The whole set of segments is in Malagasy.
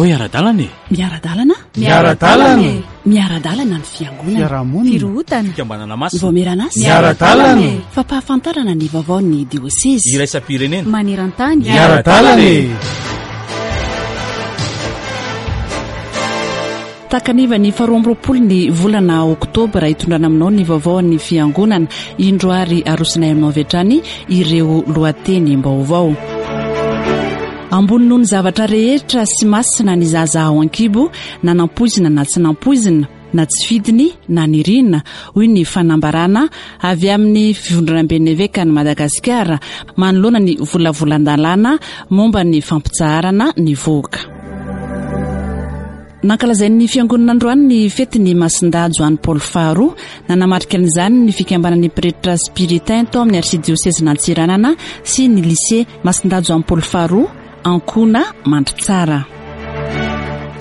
Andao hiara-dalana e! Miara-dalana? Miara-dalana e! Miara-dalana ny fiangonana. Fiarahamonina. Firohotana. Fikambanana masina. Vaomieran'asa. Miara-dalana e! Fampahafantarana ny vaovaon'ny diosezy. Iraisam-pirenena. Maneran-tany. Miara-dalana e! Takaniva ny faharoa amby roapolo ny volana oktobra hitondrana aminao ny vaovaon'ny fiangonana. Indro ary arosonay aminao avy hatrany ireo lohatenim-baovao. Ambony noho ny zavatra rehetra sy masina ny zaza ao an-kibo, na nampoizina na tsy nampoizina, na tsy fidiny na nirina, hoy ny fanambarana avy amin'ny Fivondronamben'ny Evekan'i Madagasikara manoloana ny volavolan-dalàna momba ny fampitsaharana ny vohoka. Nankalazain'ny Fiangonana androany ny fetin'ny Masindahy Joany Paoly faharoa. Nanamarika an'izany ny fikambanan'ny pretra spiritain tao amin'ny Arsidiosezin'Antsiranana sy ny Lycée Masindahy Joany Paoly faharoa, Ankona, Mandritsara.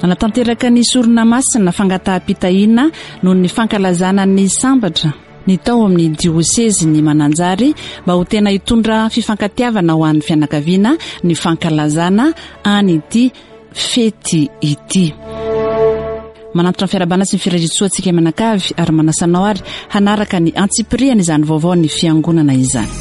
Nanatanteraka ny sorona masina fangataham-pitahiana noho ny fankalazana ny sambatra ny tao amin'ny diosezin'i Mananjary mba ho tena hitondra fifankatiavana ho an'ny fianakaviana ny fankalazana an'ity fety ity. Manantitra ny fiarahabana sy ny firariantsoa antsika mianakavy ary manasa anao ary hanaraka ny antsipiriany izany vaovao ny fiangonana izany.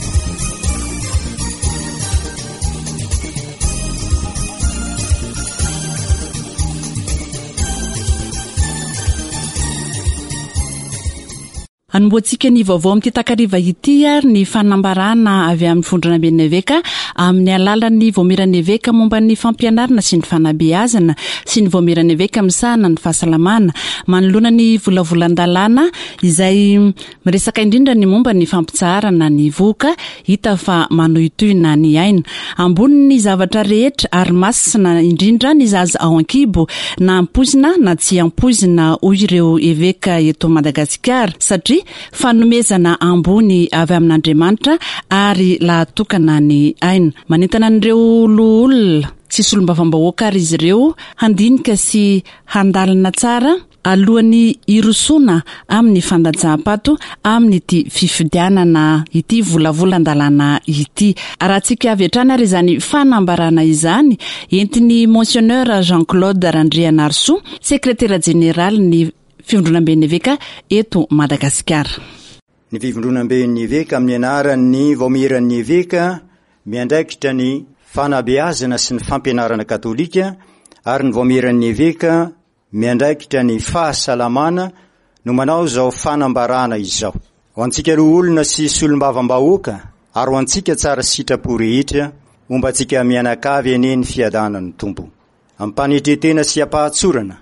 Hanombohantsika ny vaovao amin'ity takariva ity ary ny fanambarana avy amin'ny Vondronamben'ny Eveka amin'ny alalan'ny Vaomieran'ny Eveka momba ny fampianarana sy ny fanabeazana sy ny Vaomieran'ny Eveka misahana ny fahasalamana manoloana ny volavolan-dalàna izay miresaka indrindra ny momba ny fampitsaharana ny vohoka hita fa manohitohina ny aina. Ambonin'ny zavatra rehetra ary masina indrindra ny zaza ao an-kibo, na ampoizina na tsy ampoizina, hoy ireo eveka eto Madagasikara, satria fanomezana ambony avy amin'Andriamanitra ary lahatokana ny aina. Manentana an'ireo loholona sy solombavambahoaka ary izy ireo handinika sy handalina tsara Alohan'ny hirosoana amin'ny fandatsaham-pato amin'ity fifidianana ity volavolan-dalàna ity. Arahantsika avy hatrany ary izany fanambarana izany entin'ny Monseigneur Jean Claude Randrianarisoa, Sekretera Jeneralin'ny Fivondronamben'ny Eveka eto Madagasikara. Ny Fivondronamben'ny Eveka amin'ny anaran'ny Vaomieran'ny Eveka miandraikitra ny fanabeazana sy ny fampianarana katolika ary ny Vaomieran'ny Eveka miandraikitra ny fahasalamana no manao izao fanambarana izao. Ho antsika loholona sy solombavambahoaka ary ho antsika tsara sitrapo rehetra, homba antsika mianakavy anie ny fiadanan'ny Tompo. Am-panetren-tena sy am-pahatsorana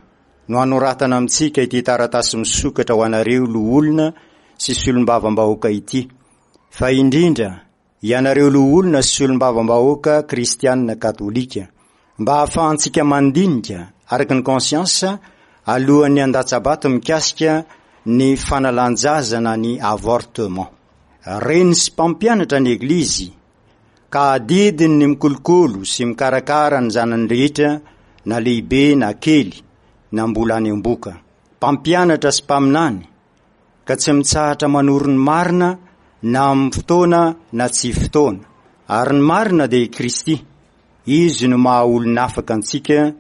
no anoratana amintsika ity taratasy misokatra ho anareo loholona sy solombavambahoaka ity, fa indrindra Ianareo loholona sy solombavambahoaka kristianina katolika, mba hahafahantsika mandinika araka ny conscience alohan'ny handatsa-bato mikasika ny fanalan-jaza na ny avortement. Reny sy mpampianatra ny Eglizy, ka adidiny ny mikolokolo sy mikarakara ny zanany rehetra na lehibe na kely na mbola any am-boka. Mpampianatra sy mpaminany, ka tsy mitsahatra manoro ny marina na amin'ny fotoana na tsy fotoana. Ary ny marina dia i Kristy. Izy no maha olona afaka antsika,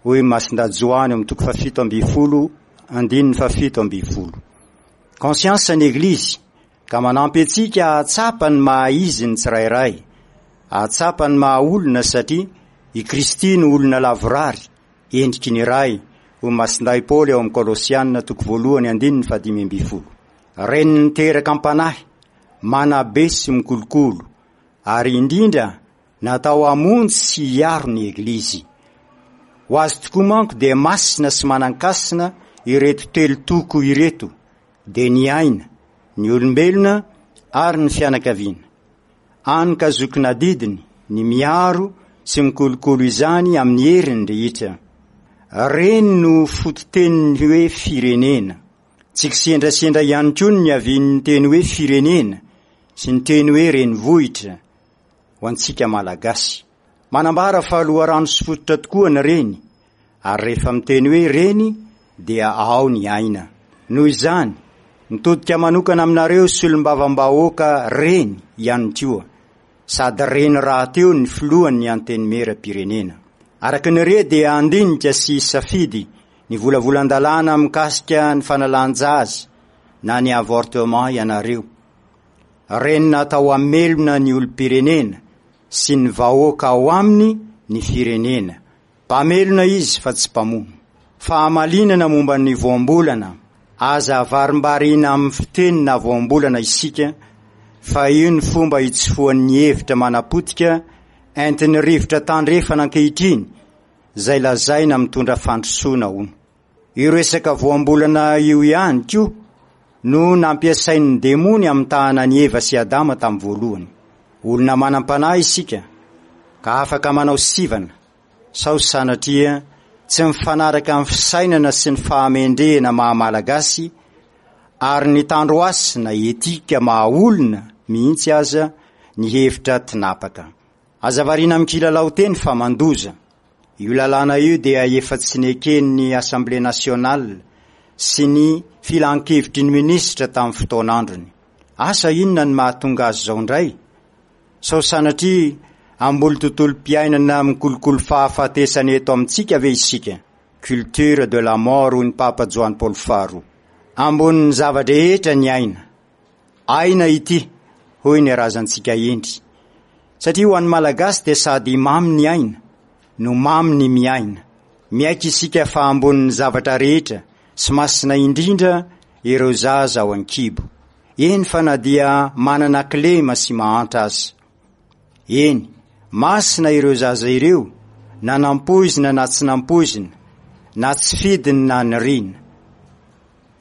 hoy Masindahy Joany ao amin'ny toko fahafito ambin'ny folo, andininy fahafito ambin'ny folo. Conscience ny Eglizy, ka manampy antsika hahatsapa ny maha izy ny tsirairay, hahatsapa ny maha olona satria i Kristy no olona lavorary, Endriky ny Ray, hoy Masindahy Paoly ao amin'ny Kolosiana toko voalohany andininy fahadimy ambin'ny folo. Reny niteraka am-panahy, manabe sy mikolokolo, ary indrindra natao hamonjy sy hiaro ny Eglizy. Ho azy tokoa manko dia masina sy manan-kasina ireto telo toko ireto, dia ny aina, ny olombelona ary ny fianakaviana. Any ka zokin'adidiny ny miaro sy mikolokolo izany amin'ny heriny rehetra. Reny no fototenin'ny hoe firenena. Tsy kisendrasendra ihany koa ny niavian'ny teny hoe firenena sy ny teny hoe renivohitra ho antsika Malagasy. Manambara fa loharano sy fototra tokoa ny reny ary rehefa miteny hoe reny dia ao ny aina. Noho izany, mitodika manokana aminareo solombavambahoaka reny ihany koa, sady reny rahateo ny filohan'ny Antenimierampirenena. Araka ny re dia handinika sy hisafidy ny volavolan-dalàna mikasika ny fanalan-jaza na ny avortement ianareo. Reny natao hamelona ny olom-pirenena sy ny vahoaka ao aminy ny firenena. Mpamelona izy fa tsy mpamono. Fahamalinana momba ny voambolana, Aza avarimbarina amin'ny fiteny na voambolana isika fa io ny fomba hitsofohan'ny hevitra manapotika entin'ny rivotra tandrefana ankehitriny izay lazaina mitondra fandrosoana hono. Io resaka voambolana io ihany koa no nampiasain'ny demony hamitahana an'i Eva sy Adama tamin'ny voalohany. Olona manam-panahy isika ka afaka manao sivana sao sanatria tsy mifanaraka amin'ny fisainana sy ny fahamendrehana maha Malagasy ary ny tandrohasina etika maha olona mihitsy aza ny hevitra tinapaka. Aza variana amin'ny kilalao teny fa mandoza. Io lalàna io dia efa tsy neken'ny Assemblée nationale sy ny filankevitry ny minisitra tamin'ny fotoan'androny. Asa inona ny mahatonga azy izao indray? Sao sanatria hamboly tontolom-piainana mikolokolo fahafatesana eto amintsika ve isika? Culture de la mort hoy ny Papa Joany Paoly faharoa. Ambonin'ny zava-drehetra ny aina. Aina ity, hoy ny razantsika hendry. Satria ho an'ny Malagasy dia sady mamy ny aina, no mamy ny miaina. Miaiky isika fa ambonin'ny zavatra rehetra sy masina indrindra ireo zaza ao an-kibo. Eny fa na dia manana kilema sy mahantra aza. Eny, masina ireo zaza ireo na nampoizina na tsy nampoizina, na tsy fidiny na nirina.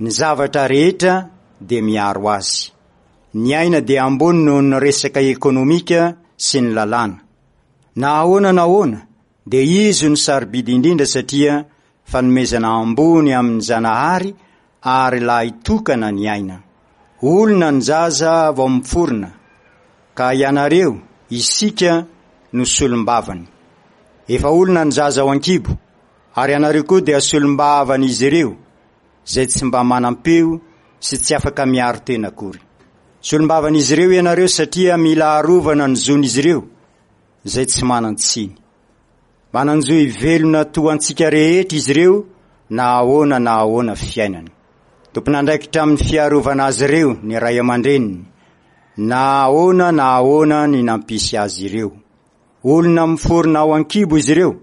Ny zavatra rehetra dia miaro azy. Ny aina dia ambony noho ny resaka ekonomika sy ny lalàna. Na ahoana na ahoana dia izy no sarobidy indrindra satria fanomezana ambony amin'ny Zanahary ary lahy tokana ny aina. Olona ny zaza vao miforona ka ianareo, isika, no solombavany. Efa olona ny zaza ao an-kibo ary ianareo koa dia solombavan'izy ireo izay tsy mba manam-peo sy tsy afaka miaro tena akory. Solombavan'izy ireo ianareo satria mila arovana ny zon'izy ireo izay tsy manan-tsiny. Manan-jo hivelona toa antsika rehetra izy ireo na ahoana na ahoana fiainany. Tompon'andraikitra amin'ny fiarovana azy ireo ny ray aman-dreniny na ahoana na ahoana ny nampisy azy ireo. Olona miforona ao an-kibo izy ireo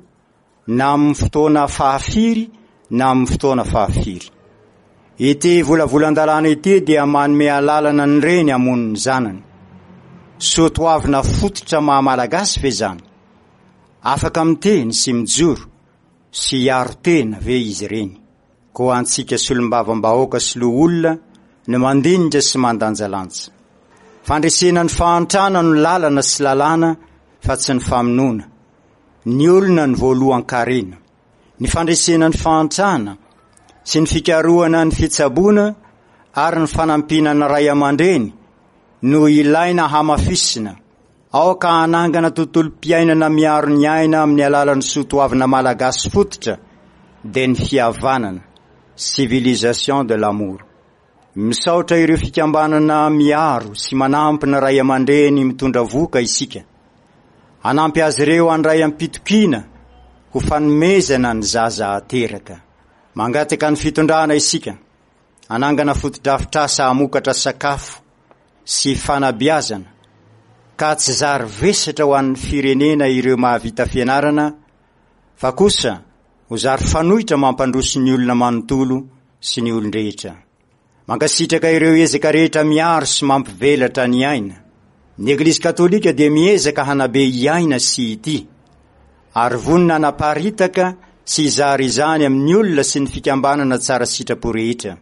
na amin'ny fotoana fahafiry na amin'ny fotoana fahafiry. Ity volavolan-dalàna ity dia manome alalana ny reny hamono ny zanany. Soa toavina fototra maha Malagasy ve izany? Afaka miteny sy mijoro sy hiaro tena ve izy ireny? Koa antsika solombavambahoaka sy loholona no mandinika sy mandanjalanja. Fandresena ny fahantrana no lalana sy lalàna fa tsy ny famonoana. Ny olona no voalohan-karena. Ny fandresena ny fahantrana sy ny fikarohana ny fitsaboana ary ny fanampiana ny ray aman-dreny no ilaina hamafisina. Aoka hanangana tontolom-piainana miaro ny aina amin'ny alalan'ny soatoavina malagasy fototra dia ny fihavanana, civilisation de l'amour. Misaotra ireo fikambanana miaro sy manampy ny ray aman-dreny mitondra vohoka isika. Hanampy azy ireo handray am-pitokiana ho fanomezana ny zaza ateraka. Mangataka ny fitondrana isika hanangana fotodrafitrasa hamokatra sakafo sy fanabeazana ka tsy zary vesatra ho an'ny firenena ireo mahavita fianarana fa kosa ho zary fanoitra mampandroso ny olona manontolo sy ny olon-drehetra. Mankasitraka ireo ezaka rehetra miaro sy mampivelatra ny aina. Ny Eglizy Katolika dia miezaka hanabe hiaina sy hitia, ary vonona hanaparitaka sy hizara izany amin'ny olona sy ny fikambanana tsara sitrapo rehetra.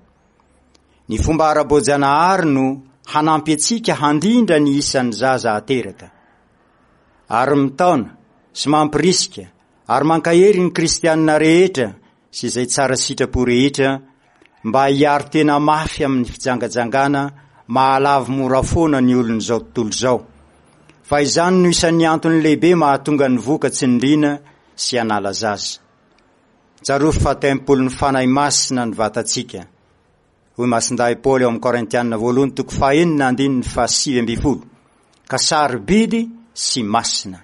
Ny fomba ara-boajanahary no hanampy antsika handrindra ny isan'ny zaza ateraka. Ary mitaona sy mampirisika ary mankahery ny kristianina rehetra sy izay tsara sitrapo rehetra mba hiaro tena mafy amin'ny fijangajangana mahalavo mora foana ny olon'izao tontolo izao, fa izany no isan'ny antony lehibe mahatonga ny voka tsy nirina sy hanala zaza. Tsarovy fa tempolin'ny Fanahy Masina ny vatantsika, hoy Masindahy Paoly ao amin'ny Korintiana voalohany toko fahenina andininy fahasivy ambin'ny folo, ka sarobidy sy masina.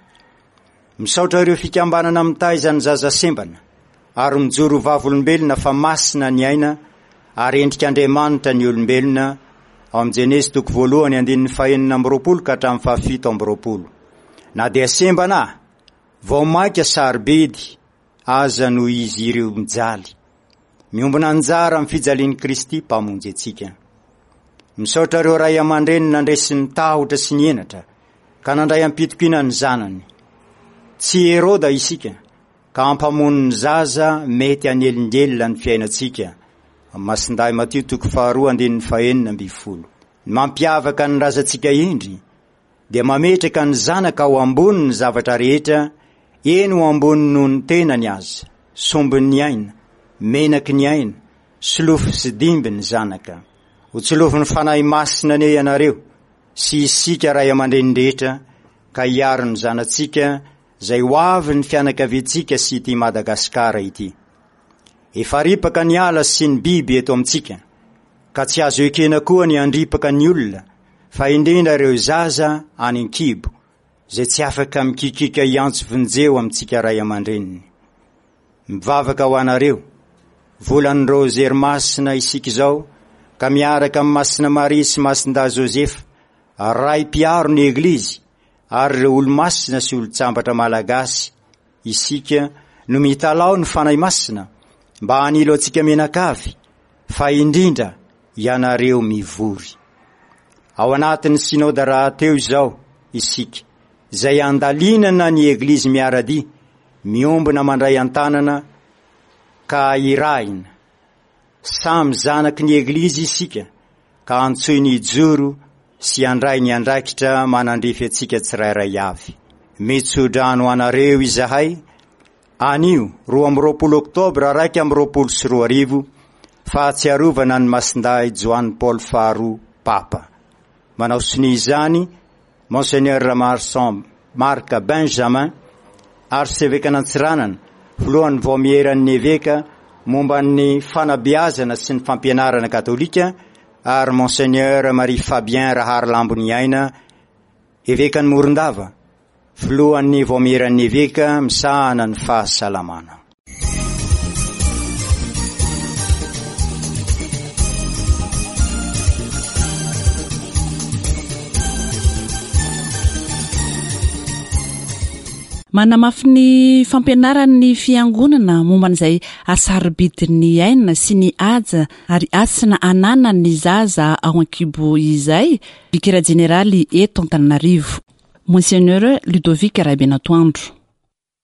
Misaotra ireo fikambanana mitaiza ny zaza sembana ary mijoro ho vavolombelona fa masina ny aina ary endrik'Andriamanitra ny olombelona, ao amin'ny Jenezy toko voalohany andininy fahenina amby roapolo ka hatramin'ny fahafito amby roapolo. Na dia sembana, vao mainka sarobidy aza noho izy ireo mijaly. Miombona anjara amin'ny fijalian'i Kristy Mpamonjy antsika. Misaotra ireo ray aman-dreny nandresy ny tahotra sy ny henatra ka nandray am-pitokiana ny zanany. Tsy Heroda isika ka hampamono ny zaza mety hanelingelina ny fiainantsika. Masindahy Matio toko faharoa andininy fahenina ambin'ny folo. Ny mampiavaka ny razantsika indry dia mametraka ny zanaka ho ambony ny zavatra rehetra, eny ho ambony noho ny tenany aza, sombin'ny aina, menaky ny aina, solofo sy dimby ny zanaka. Ho tsilovin'ny Fanahy Masina anie ianareo sy isika ray aman-dreny rehetra ka hiaro ny zanatsika izay ho avy ny fianakaviantsika sy ity Madagasikara ity. Efa ripaka ny ala sy ny biby eto amintsika ka tsy azo ekena koa ny handripaka ny olona fa indrindra ireo zaza any an-kibo izay tsy afaka mikikiaka hiantso vonjeo amintsika ray aman-dreniny. Mivavaka ho anareo, volan'ny Rozery Masina isika izao ka miaraka amin'i Masina Maria sy Masindahy Josefa, Ray mpiaro ny Eglizy ary ireo olomasina sy olon-tsambatra malagasy isika no mitalaho ny Fanahy Masina mba hanilo antsika mianakavy fa indrindra ianareo mivory. Ao anatin'ny Synoda rahateo izao isika, izay andalinana ny Eglizy miara-dia, miombona mandray an-tanana ka irahina. Samy zanaky ny Eglizy isika ka antsoiny hijoro sy handray ny andraikitra manandrify antsika tsirairay avy. Mitso-drano anareo izahay anio 22 oktobra 2021, fahatsiarovana an'i Masindahy Joany Paoly faharoa Papa. Manao sonia izany Monseigneur Ramarson Marc Benjamin, Arsevekan'Antsiranana, filohan'ny Vaomieran'ny Eveka momba ny fanabeazana sy ny fampianarana katolika, ary Monseigneur Marie Fabien Raharilamboniaina, Evekan'i Morondava, filohan'ny Vaomieran'ny Eveka misahana ny fahasalamana. Manamafy ny fampianaran'ny Fiangonana momba an'izay hasarobidin'ny aina sy ny haja ary hasina ananan'ny zaza ao an-kibo izay, Vikera Jeneraly eto Antananarivo, Monseigneur Ludovic Rabenatoandro.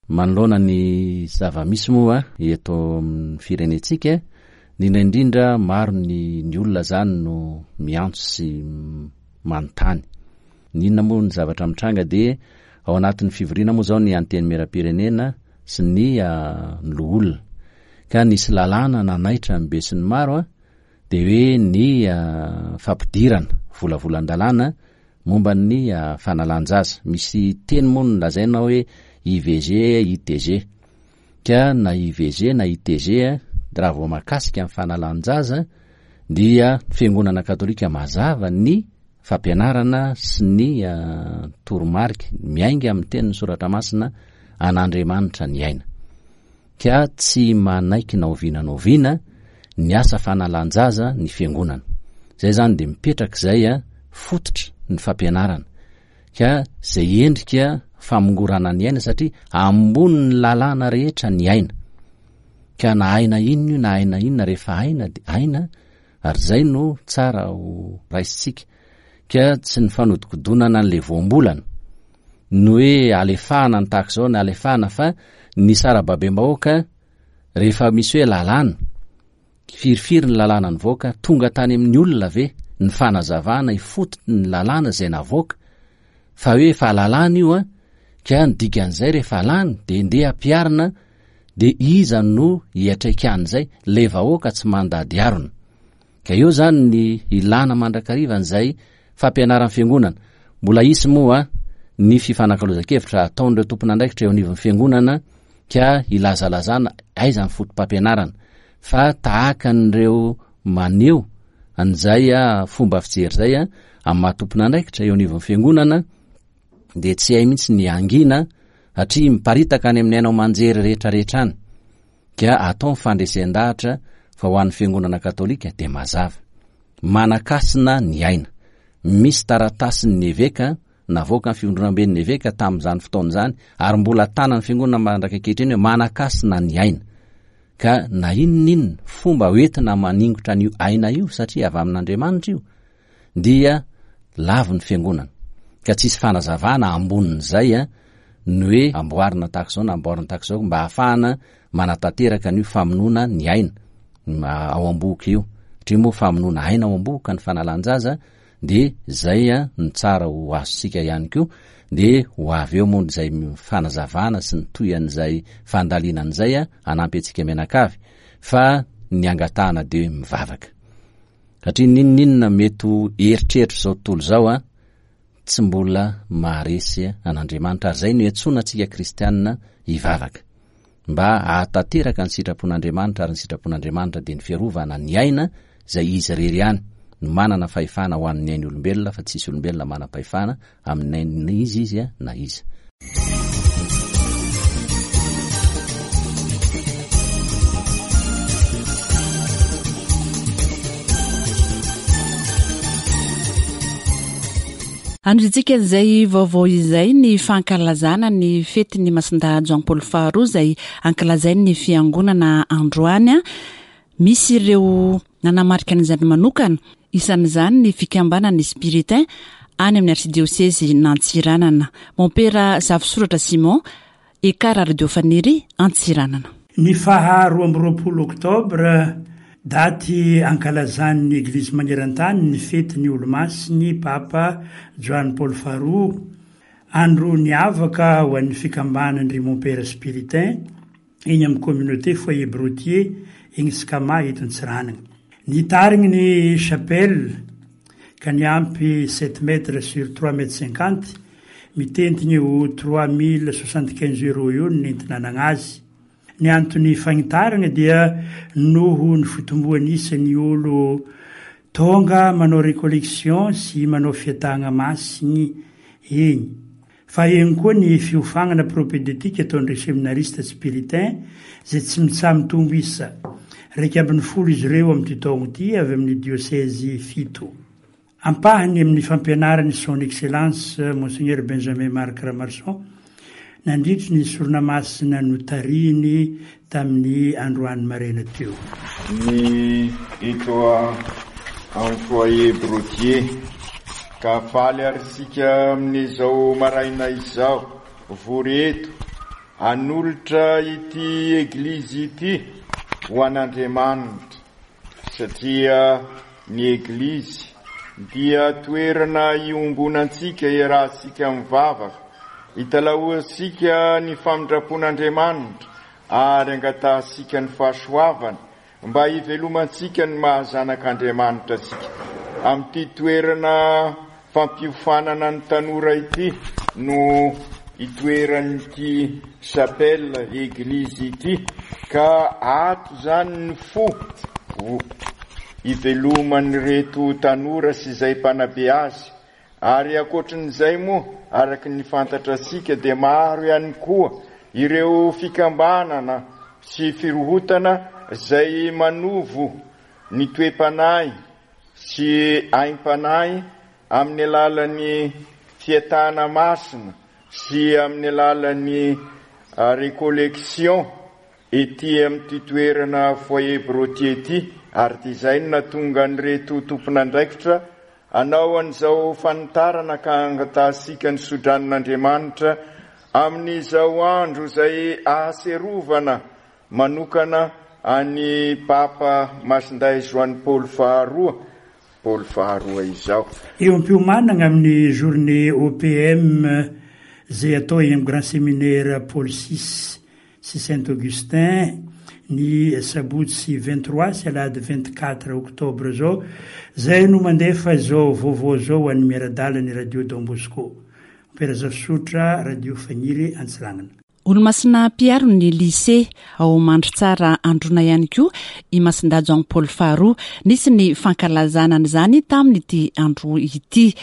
Manoloana ny zava-misy moa eto amin'ny firenentsika, indrindra indrindra maro ny ny olona izany no miantso sy manontany. Ny inona moa ny zavatra mitranga dia ao anatin'ny fivoriana moa izao ny Antenimierampirenena sy ny ny loholona. Ka nisy lalàna nanaitra ny besinimaro dia hoe ny fampidirana volavolan-dalàna momba ny fanalan-jaza. Misy teny moa no lazaina hoe IVG, ITG. Ka na IVG na ITG raha vao mahakasika ny fanalan-jaza dia fiangonana katolika mazava ny fampianarana sy ny toromarika miainga amin'ny tenin'ny soratra masina an'Andriamanitra ny aina. Ka tsy manaiky na oviana na oviana ny asa fanalan-jaza ny fiangonana. Zay zany dia mipetraka izay a fototra ny fampianarana. Ka zay endrika famongorana ny aina satria ambonin'ny lalàna rehetra ny aina. Ka na aina inona io na aina inona rehefa aina dia aina ary zay no tsara ho raisintsika. Ka tsy ny fanodikodonana an'ilay voambolana ny hoe alefahana ny tahaka izao na alefahana fa ny sarababem-bahoaka rehefa misy hoe lalàna, firifiry ny lalàna nivoaka, tonga tany amin'ny olona ve ny fanazavana ifotony ny lalàna izay navoaka fa hoe efa lalàna io an, ka ny dikan'izay rehefa lany dia ndeha ampiharina dia iza no hiatraikan'izay, ilay vahoaka tsy mandady harona. Ka eo izany ny ilàna mandrakariva an'izay fampianaran'ny Fiangonana. Mbola hisy moa ny fifanakalozan-kevitra hataon'ireo tompon'andraikitra eo anivon'ny Fiangonana ka hilazalazana aiza ny foto-pampianarana fa tahaka an'ireo maneho an'izay fomba fijery izay amin'ny maha tompon'andraikitra eo anivon'ny Fiangonana dia tsy hay mihitsy ny hangina. Satria miparitaka any amin'ny haino aman-jery rehetra rehetra any. Ka atao ny fandresen-dahatra fa ho an'ny Fiangonana Katolika dia mazava. Manan-kasina ny aina. Misy taratasin'ny eveka navoakan'ny Fivondronamben'ny Eveka tamin'izany fotoana izany ary mbola tanan'ny Fiangonana mandrak'ankehitriny hoe manan-kasina ny aina. Ka na inona inona fomba hoentina maningotra an'io aina io satria avy amin'Andriamanitra io dia lavo ny Fiangonana. Ka tsisy fanazavana ambonin'izay ny hoe amboarina tahaka izao na amboarina tahaka izao mba hahafahana manatanteraka an'io famonoana ny aina ao am-bohoka io. Satria moa famonoana aina ao am-bohoka ny fanalan-jaza dia izay no tsara ho azontsika ihany koa, dia ho avy eo moa izay fanazavana sy ny tohian'izay fandalinana izay hanampy antsika mianakavy, fa ny angatahana dia hoe mivavaka. Satria n'inon'inona mety ho eritreritr'izao tontolo izao an, tsy mbola maharesy an'Andriamanitra, ary izay no iantsoana antsika kristianina hivavaka. Mba hahatanteraka ny sitrapon'Andriamanitra ary ny sitrapon'Andriamanitra dia ny fiarovana ny aina izay Izy irery ihany no manana fahefana ho an'ny ain'ny olombelona fa tsisy olombelona manam-pahefana amin'ny ain'iza izy na iza. Andrintsika izay vaovao izay ny fankalazana ny fetin'ny Masindahy Jean Paul faharoa izay ankalazain'ny fiangonana androany. Misy ireo nanamarika an'izany manokana, isan'izany ny fikambanan'ny Spiritain any amin'ny arsidiosezy n'Antsiranana. Mompera Zafisoratra Simon, Ekar Radio Faniry, Antsiranana. Ny faha 22 oktobra, daty ankalazan'ny Eglizy maneran-tany ny fetin'ny Olomasin'ny Papa Joany Paoly faharoa, andro niavaka ho an'ny fikambanan-dry Mompera Spiritain eny amin'ny Communauté Foyer Brottier eny Scama eto Antsiranana. Nitarigny ny chapelle ka niampy sept mètres sur trois mètres cinquante, mitentigny ho 3075 euros eo ny nentinanagna azy. Ny antony fagnitaragna dia noho ny fitomboan'ny isan'ny olo tonga manao recollection sy manao fiatahagna masigny eny. Fa eny koa ny fiofagnana propédeutique ataon'ireo seminariste spiritain izay tsy mitsaha-mitombo isa. 11 izy ireo amin'ity taogno ity avy amin'ny diosezy fito. Ampahany amin'ny fampianaran'i Son Excellence Monseigneur Benjamin Marc Ramarson nandritry ny sorona masina notarihiny tamin'ny androany maraina teo. Ny eto amin'ny Foyer Brottier. Ka faly ary isika amin'izao maraina izao vory eto hanolotra ity Eglizy ity ho an'Andriamanitra satria ny Eglizy dia toerana iombonantsika iarahantsika mivavaka, italahoantsika ny famindram-pon'Andriamanitra ary angatahantsika ny fahasoavany mba hivelomantsika ny maha zanak'Andriamanitra antsika. Amin'ity toerana fampiofanana ny tanora ity no itoeran'ity chapelle eglizy ity ka ato izany ny fo iveloman'ireto tanora sy izay mpanabe azy Ary ankoatrin'izay moa, araka ny fantatrasika dia maro ihany koa ireo fikambanana sy firohotana izay manovo ny toe-panahy sy aim-panahy amin'ny alalan'ny fiatahana masina sy amin'ny alalan'ny recollection ety amin'ity toerana Foyer Brottier ity ary dia izay no nahatonga an'ireto tompon'andraikitra hanao an'izao fanitarana ka angatahantsika ny sodranon'Andriamanitra amin'izao andro izay ahaserovana manokana an'i Papa Masindahy Joany Paoly faharoa Paoly faharoa izao. Eo am-piomanana amin'ny journée OPM izay atao eny amin'ny Grand Séminaire Paul vi sy Saint Augustin ny sabotsy 23 sy alahady 24 octobre izao, izay no mandefa izao vaovao izao ho an'ny miara-dala ny Radio Don Bosco. Amperazafy Radio Fagniry Antsiranana. Olomasina mpiaro ny Lycée ao Mandritsara Androna ihany koa i Masindahy Jean Paul faharoa. Nisy ny fankalazana an'izany tamin'ity andro ity.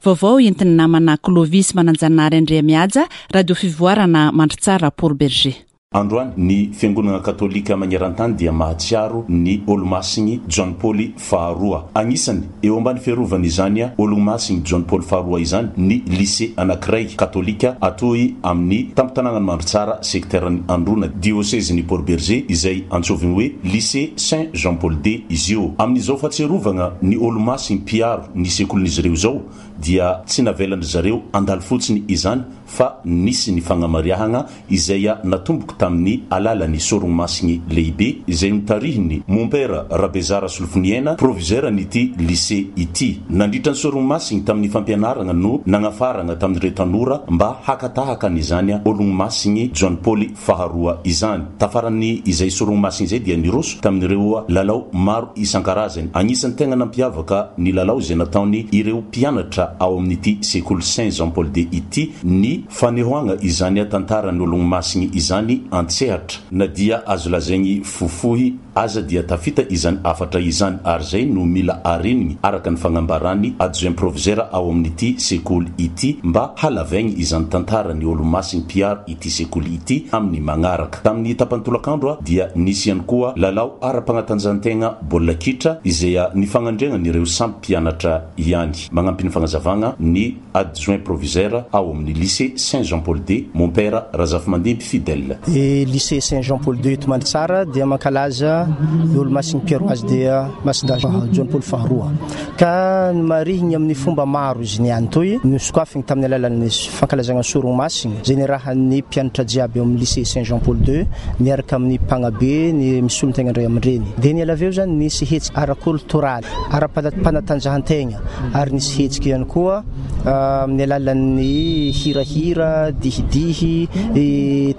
Vaovao entin'ny namana Clovis Mananjanahary Andriamihaja, Radio Fivoarana Mandritsara Port Bergé. Androany, ny Fiangonana Katolika magneran-tany dia mahatsiaro ny Olomasigny Joany Paoly Faharoa. Agnisany, eo ambany fiarovan'izany Olomasigny Joany Paoly Faharoa izany ny Lycée anankiray katolika atoy amin'ny tampon-tanànan'i Mandritsara, sekteran'i Androna, diosezin'i Port Bergé, izay antsovigny hoe Lycée Saint Jean Paul ii izy io. Amin'izao fahatsiarovagna ny Olomasigny mpiaro ny sekolin'izy ireo izao dia tsy navelan-dry zareo handalo fotsiny izany fa nisy ny fagnamariahagna izay natomboko tamin'ny alalan'ny Sorogno Masigny Lehibe izay notarihin'ny Mompera Rabezara Solofoniaina, proviseur-n'ity Lycée ity. Nandritra ny Sorogno Masigny tamin'ny fampianaragna no nagnafaragna tamin'ireo tanora mba haka tahaka an'izany Ologno Masigny Joany Paoly Faharoa izany. Tafaran'ny izay Sorogno Masigny izay dia niroso tamin'ireo lalao maro isan-karazany. Agnisan'ny tegna nampiavaka ny lalao izay nataony ireo mpianatra ao amin'ity sekoly Saint Jean Paul ii ity ny fanehoagna izany tantaran'ny Ologno Masigny izany an-tsehatra. Na dia azo lazaigny fohifohy aza dia tafita izany hafatra izany ary izay no mila arenigny araka ny fagnambaran'ny adjoint proviseur ao amin'ity sekoly ity mba halavaigny izany tantaran'ny Olomasigny mpiaro ity sekoly ity amin'ny magnaraka. Tamin'ny tapany tolakandro dia nisy ihany koa lalao ara-pagnatanjahantegna baolina kitra izay nifagnandriagnan'ireo samy mpianatra ihany. Magnampy ny fagnazavagna ny Adjoint proviseur ao amin'ny Lycée Saint Jean Paul ii, Mompera Razafimandimby Fidèle. Ny Lycée Saint Jean Paul ii eto Mandritsara dia mankalaza ny Olomasin'i Pierre dia Masindahy Joany Paoly faharoa ka nomarihiny amin'ny fomba maro izy niany toy nosokafiny tamin'ny alalan'ny fankalazagna ny Sorogno Masina izay niarahan'ny mpianatra jiaby ao amin'ny Lycée Saint Jean Paul ii miaraka amin'ny mpagnabe ny misolo-tegna ny ray aman-dreny dia niala avy eo izany nisy hetsika ara-kolotoraly ara-panatanjahan-tegna ary nisy hetsika ihany koa amin'ny alalan'ny hirahira, dihidihy,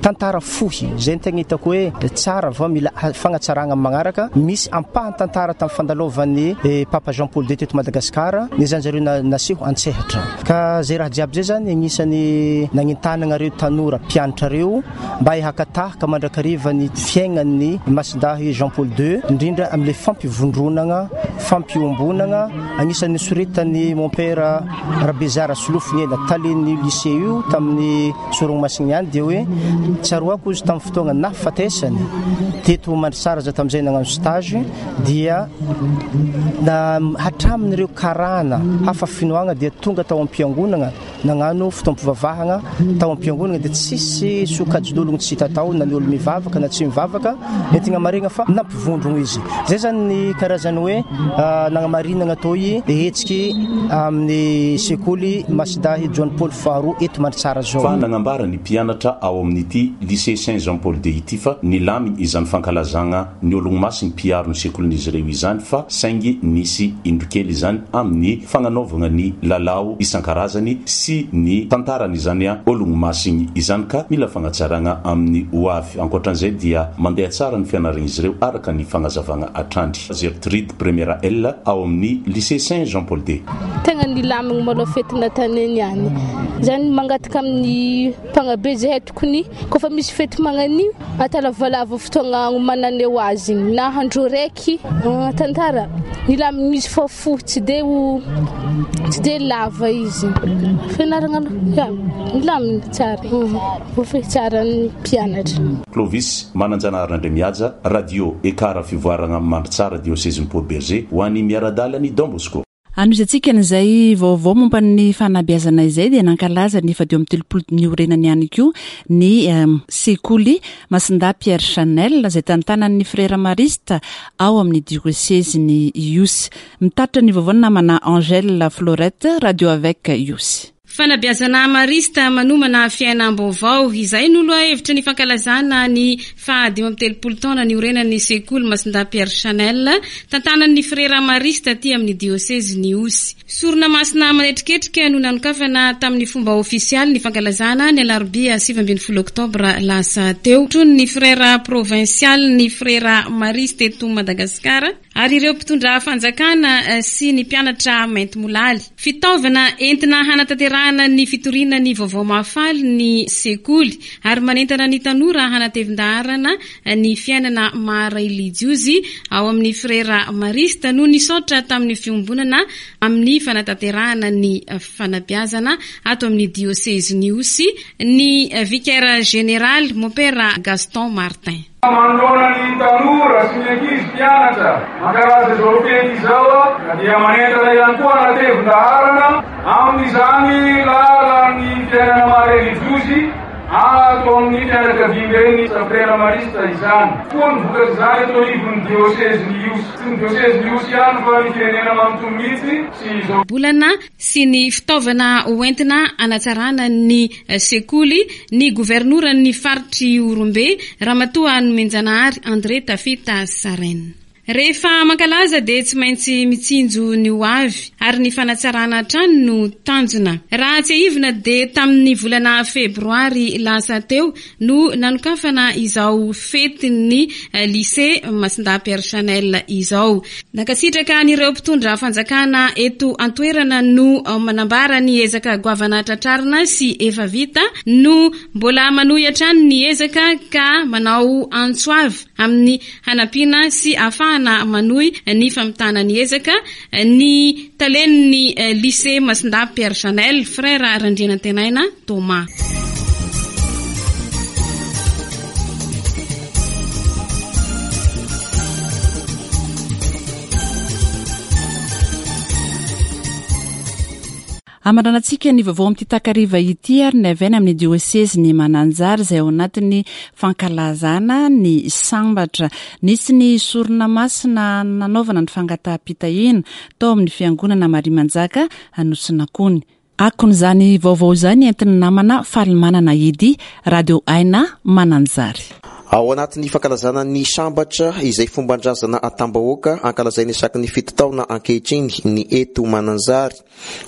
tantara fohy. Izay no tegna hitako hoe tsara va mila fagnatsaragna amin'ny magnaraka. Misy ampahan-tantara tamin'ny fandalovan'ny Papa Jean Paul ii teto Madagasikara, nezanjareo naseho an-tsehatra. Ka zay raha jiaby zay zany agnisan'ny nagnentanagna reo tanora mpianatra reo mba haka tahaka mandrakariva ny fiaignan'ny Masindahy Jean Paul ii, indrindra amin'ilay fampivondronagna, fampiombonagna, anisan'ny nosoretan'i Mompera Rabezara Solofoniaina, talen'ny lycée io tamin'ny Sorogno Masigny ihany dia hoe tsaroako izy tamin'ny fotoagna nahafatesany teto Mandritsara za tamin'izay nagnano stage dia na hatramin'ireo karana hafa finoagna dia tonga tao am-piangonagna Nagnano fotoam-pivavahagna tao am-piangonagna dia tsisy sokajin'ologno tsy hita tao na ny olo mivavaka na tsy mivavaka, entigna maregna fa nampivondrogno izy. Zay zany ny karazany hoe nagnamarinagna toy hetsiky amin'ny sekoly Masidahy Joany Paoly faharoa eto Mandritsara zao. Fa nagnambara ny mpianatra ao amin'ity Lycée Saint Jean Paul ii ity fa nilamigny izany fankalazagna ny Olomasiny mpiaro ny sekolin'izy ireo izany fa saingy nisy indro kely izany amin'ny fagnanaovagna ny lalao isan-karazany sy ny tantaran'izany Olomasiny izany ka mila fagnatsaragna amin'ny ho avy. Ankoatran'izay dia mandeha tsara ny fianaragn'izy ireo araka ny fagnazavagna hatrany. Gertrude, Première L ao amin'ny Lycée Saint Jean Paul ii. Tegna nilamigny malôha fety nataonay niany. Zany mangataka amin'ny mpagnabe zahay tokony kôfa misy fety magnan'io Atao lavalava fotoagna agnomananay ho azy igny na andro raiky tantara nilamigny izy fô fohy tsy de ho tsy de lava izy fianaragna aloha ya milamigny tsara voafehy tsara ny mpianatra. Clovis Mananjanahary Andriamihaja, Radio Ekar Fivoaragna Mandritsara Diosezin'i Port Bergé ho an'ny miara-dalan'i Don Bosco. Anohizantsika an'izay vaovao momba ny fanabeazana izay dia nankalaza ny faha-35 niorenany ihany koa ny sekoly Masindahy Pierre Chanel izay tantanan'ny Frera Marista ao amin'ny diosezin'i Ihosy. Mitatitra ny vaovao ny namana Angèle Florette, Radio Avec Ihosy. Fanabeazana Marista manomana fiainam-baovao, izay no lohahevitry ny fankalazana ny faha 35 taona niorenan'ny sekoly Masindahy Pierre Chanel, tantanan'ny Frera Marista aty amin'ny diosezin'Ihosy. Sorona masina manetriketrika no nanokafana tamin'ny fomba ofisialy ny fankalazana ny alarobia 19 oktobra lasa teo. Tronin'ny Frera provinsialin'ny Frera Marista eto Madagasikara, Ary ireo mpitondra fanjakana sy ny mpianatra maintimolaly. Fitaovana entina hanatanterahana ny fitoriana ny vaovao mahafaly ny sekoly ary manentana ny tanora hanatevin-daharana. fanatsarana ny fiainana maha relijiozy ao amin'ny Frera Marista no nisaotra tamin'ny fiombonana amin'ny fanatanterahana ny fanabeazana ato amin'ny diosezin'Ihosy ny Vicaire Général Mompera Gaston Martin. Manoloana ny tanora sy ny ankizy mpianatra mankalaza izao fety izao dia manentana ihany koa hanatevin-daharana amin'izany lalan'ny fiainana maha relijiozy ato amin'ny fianakaviamben'ny Frera Marista izany koa ny vokatr'izany eto anivon'ny diosezin'Ihosy. Tsy ny diosezin'Ihosy ihany fa ny firenena manontolo mihitsy sy izao. Bolana sy ny fitaovana hoentina hanatsarana ny sekoly ny governoran'ny faritr'i Ihorombe, Ramatoa Nomenjanahary André Tafita Sarène. Rehefa mankalaza dia tsy maintsy mitsinjo ny ho avy ary ny fanatsarana hatrany no tanjona. Raha tsiahivina dia tamin'ny volana febroary lasa teo no nanokafana izao fetin'ny Lycée Masindahy Pierre Chanel izao. Nankasitraka an'ireo mpitondra fanjakana eto an-toerana no manambara ny ezaka goavana tratrarina sy efa vita no mbola manohy hatrany ny ezaka ka manao antso avo amin'ny hanampiana sy ahafahana manohy ny famitana ny ezaka ny talen'ny Lycée Masindahy Pierre Chanel, Frère Randrianantenaina Thomas. Hamaranantsika ny vaovao amin'ity takariva ity ary ny avy any amin'ny diosezin'i Mananjary izay ao anatin'ny fankalazana ny sambatra. Nisy ny sorona masina nanaovana ny fangataham-pitahiana tao amin'ny fiangonana Maria Manjaka Anosinakony. Akon'izany vaovao izany entin'ny namana Falimanana Eddy, Radio Aina Mananjary. Ao anatin'ny fankalazana ny sambatra izay fomban-drazana atam-bahoaka ankalazaina isaky ny fito taona ankehitriny ny eto Mananjary.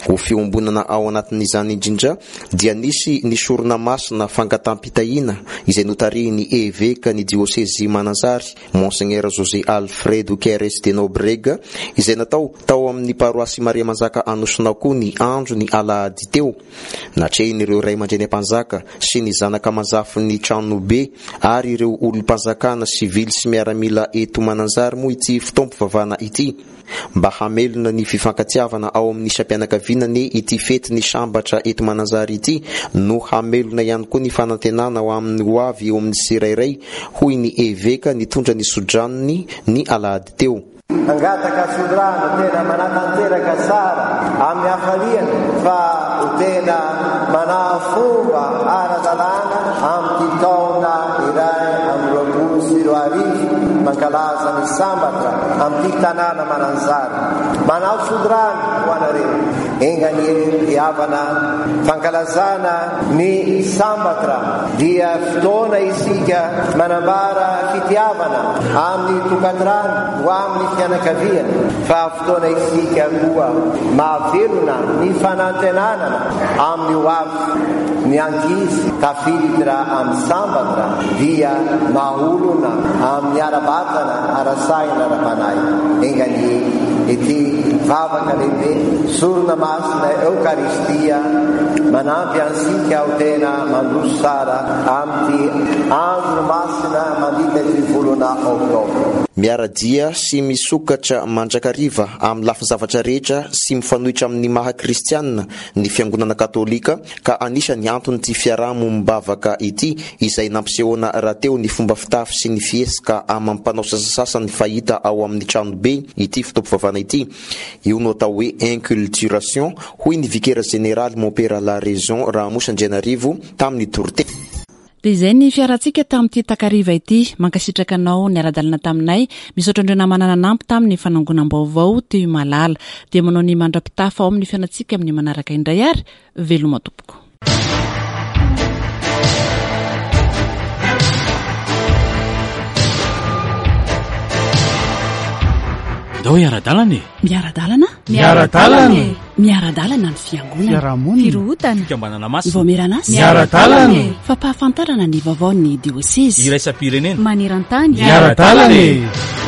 Ho fiombonana ao anatin'izany indrindra dia nisy ny sorona masina fangatam-pitahiana izay notarihin'ny Eveka ny Diosezy Mananjary, Monseigneur José Alfredo Queres de Nobrega, izay natao tao amin'ny Paroasy Maria Manjaka Anosinakoa ny andro ny alahady teo. Natrehin'ireo ray aman-dreny ampanjaka sy ny zanaka aman-jafin'ny tranobe ary ireo olom-panjakana sivily sy miaramila eto Mananjary moa ity fotoam-pivavahana ity. Mba hamelona ny fifankatiavana ao amin'ny isam-pianakaviana anie ity fety ny sambatra eto Mananjary ity no hamelona ihany koa ny fanantenana ho amin'ny ho avy eo amin'ny tsirairay, hoy ny Eveka nitondra ny sodranony ny alahady teo. Mangataka tsodrano tena manatanteraka tsara amin'ny hafaliana fa ho tena manahafomba ara-dalàna amin'ity taona 2021 mankalaza ny sambatra amin'ity tanàna Mananjary. Manao tsodrano ho anareo. Enga anie ry havana, fankalazana ny sambatra dia fotoana isika manambara fitiavana amin'ny tokantrano ho amin'ny fianakaviana fa fotoana isika koa mahavelona ny fanantenanana amin'ny ho avy. Ny ankizy tafiditra amin'ny sambatra dia maha-olona amin'ny ara-batana, ara-saina, ara-panahy. Enga anie ity vavaka lehibe, sorona masina Eokaristia, manampy antsika ho tena mandroso tsara amin'ity andro masina mandritra ity volana Oktobra. Miara-dia sy misokatra mandrakariva amin'ny lafin-javatra rehetra sy mifanohitra amin'ny maha kristiana ny Fiangonana Katolika ka anisan'ny anton'ity fiaraha-mombavaka ity izay nampisehoana rahateo ny fomba fitafy sy ny fihetsika amam-panao sasasasany fahita ao amin'ny tranobe ity fotoam-pivavahana ity. Io no atao hoe inculturation, hoy ny vikera jeneraly Mompera Laraison Rahamosa Andrianarivo tamin'ny toriteny. Dia izay ny fiarantsika tamin'ity takariva ity. Mankasitraka anao niara-dalana taminay. Misaotra an'ireo namana nanampy tamin'ny fanangonam-baovao teo Imalala. Dia manao ny mandra-pitafa ao amin'ny fiainantsika amin'ny manaraka indray ary veloma tompoko. Ndao hiara-dalana e! Miara-dalana? Miara-dalana e! Miara-dalana ny fiangonana. Fiarahamonina. Firohotana. Fikambanana masina. Vaomieran'asa. Miara-dalana e! Fampahafantarana ny vaovaon'ny diosezy. Iraisam-pirenena. Maneran-tany. Miara-dalana e!